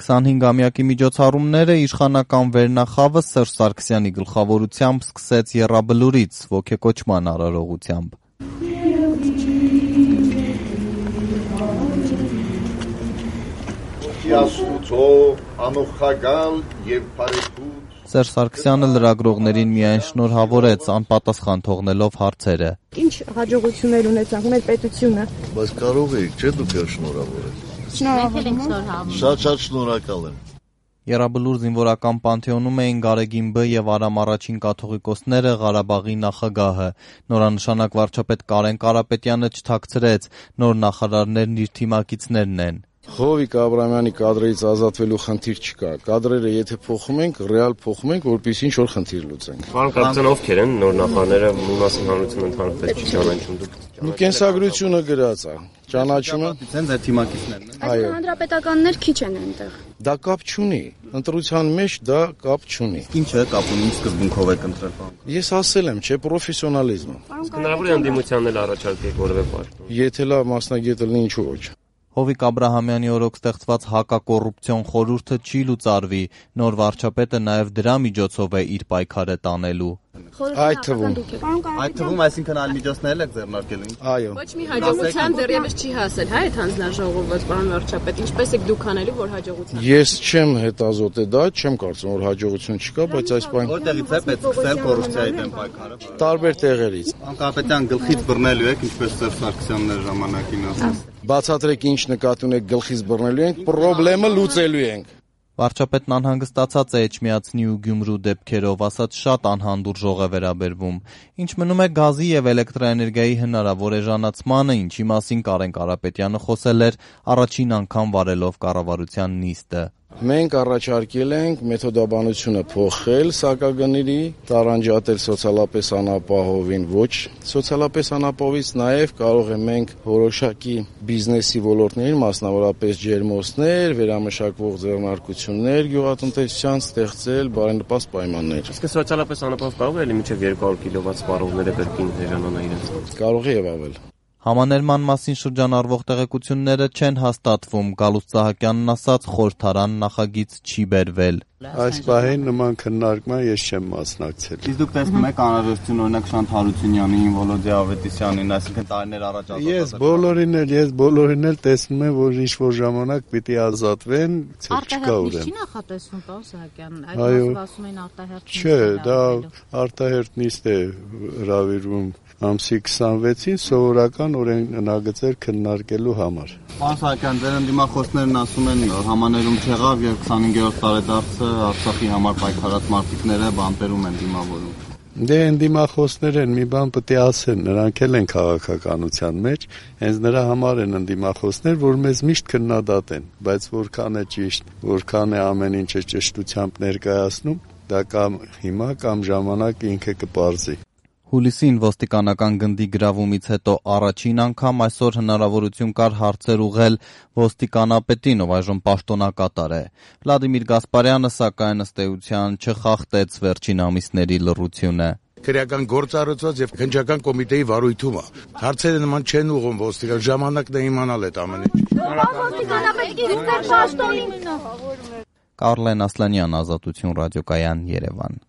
25-ամյակի միջոցառումները իշխանական վերնախավը Սերժ Սարգսյանի գլխավորությամբ սկսեց եռաբլուրից ոգեկոչման արարողությամբ։ Սերժ Սարգսյանը լրագրողներին միայն շնորհավորեց, անպատասխան թողնելով հարցերը։ Ինչ հաջողություններ ունեցանք մեր պետությունը։ Բայց կարող եք, չէ՞ դուք շնորհավորել։ Շնորհավորում։ Շատ շնորհակալ եմ։ Եռաբլուր զինվորական պանթեոնում էին Գարեգին Բ եւ Արամ առաջին կաթողիկոսները, Ղարաբաղի նախագահը։ Նորանշանակ վարչապետ Կարեն Կարապետյանը չթաքցրեց, նոր նախարարներն իր թիմակիցներն են։ Հովիկ Աբրամյանի կադրերից ազատվելու խնդիր չկա։ Կադրերը եթե փոխում ենք, ռեալ փոխում ենք, որպեսզի ինչ-որ խնդիր լուծենք։ Պարոն կապիտան, ովքեր են նոր նախարարները, մի մասին հանրությունը ընդհանրապես չի ճանաչում դուք։ Կենսագրությունը գրած է։ Ճանաչում եմ։ Դե ձեր թիմակիցներն են։ Այո։ Հանրապետականներ քիչ են այնտեղ։ Դա կապ չունի։ Ընտրության մեջ դա կապ չունի։ Ինչը կապ ունի, ինչ սկզբունքով եք ընտրել, պարոն։ Ես ասել եմ, չէ, պրոֆեսիոնալիզմը։ Հնարավոր է ընդդիմությանն էլ առաջարկեք որևէ պաշտոն։ Եթե լավ մասնագետ լինի, ինչու ոչ։ Հովիկ Աբրահամյանի օրոք ստեղծված հակակոռուպցիոն խորհուրդը չի լուծարվի, նոր վարչապետը նաև դրա միջոցով է իր պայքարը տանելու։ Այդ թվում, այսինքն այլ միջոցներ եք ձեռնարկելու։ այո։ Ոչ մի հաջողության դեռևս չի հասել, հա, այդ հանձնաժողովը, պարոն վարչապետ, ինչպես եք դուք անելու, որ հաջողության։ Ես չեմ հետազոտել դա, չեմ կարծում, որ հաջողություն չկա, բայց այս բան Որտեղից է պետք սկսել կոռուպցիայի դեմ պայքարը։ տարբեր տեղերից։ Անկապետյան գլխից բռնելու եք, ինչպես Սերժ Սարգսյանն էր ժամանակին ասում։ Բացատրեք ինչ նկատի ունեք գլխից բռնելու ենք, խնդրեմը լուծելու ենք։ Վարչապետն անհանգստացած է Էջմիածնի ու Գյումրու դեպքերով, ասած շատ անհանդուրժող է վերաբերվում։ Ինչ մնում է գազի եւ էլեկտրաէներգիայի հնարավոր էժանացմանը, ինչի մասին Կարեն Կարապետյանը խոսել էր առաջին անգամ վարելով կառավարության նիստը։ Մենք առաջարկել ենք մեթոդաբանությունը փոխել սակագների, տարանջատել սոցիալապես անապահովին ոչ սոցիալապես անապահովից, նաև կարող ենք որոշակի բիզնեսի ոլորտներին, մասնավորապես ջերմոցներ, վերամշակվող ձեռնարկություններ, գյուղատնտեսության ստեղծել բարենպաստ պայմաններ։ Իսկ սոցիալապես անապահով կարող է լինի մինչև 200 կիլովատ սպառողները կրկին էժանանա իրենց։ Կարող է եւ ավել։ Համաներման մասին շրջանառվող տեղեկությունները չեն հաստատվում, Գալուստ Սահակյանն ասաց, խորհրդարան նախագիծ չի բերվել։ Այս պահին նման քննարկման ես չեմ մասնակցել։ Իսկ դուք տեսնում եք անհրաժեշտություն օրինակ Շանթ Հարությունյանին, Վոլոդիա Ավետիսյանին, այսինքն տարիներ առաջ Ես բոլորին էլ տեսնում եմ, որ ինչ-որ ժամանակ պիտի ազատվեն, չկա ուրեմն։ Չի նախատեսվում, պարոն Սահակյան, այդ Այո, ասում են արտահերթ։ Չէ, դա արտահերթ նիստ է հրավիրվում ամսի 26-ին սովորական օրենագծեր քննարկելու համար։ Պարոն Սահակյան, ձեր ընդդիմախոսներն ասում են համաներում չեղավ եւ 25-րդ տարեդարձը Արցախի համար պայքարած մարտիկները բանտերում են դիմավորում։ Դե ընդդիմախոսներ են, մի բան պետք է ասեն, նրանք էլ են քաղաքականության մեջ, հենց նրա համար են ընդդիմախոսներ, որ մեզ միշտ քննադատեն, բայց որքան է ճիշտ, որքան է ամեն ինչը ճշտությամբ ներկայացնում, դա կամ հիմա կամ ժամանակ ինքը կպարզի։ Հուլիսին ոստիկանական գնդի գրավումից հետո առաջին անգամ այսօր հնարավորություն կար հարցեր ուղղել ոստիկանապետին, ով այժմ պաշտոնակատար է։ Վլադիմիր Գասպարյանը, սակայն ըստ էության չխախտեց վերջին ամիսների լռությունը։ Քրեական գործառույթված եւ քննչական կոմիտեի վարույթում է։ Հարցերը նման չեն ուղղում ոստիկան, ժամանակն է իմանալ այդ ամեն ինչ։ Կարլեն Ասլանյան, Ազատություն ռադիոկայան, Երևան։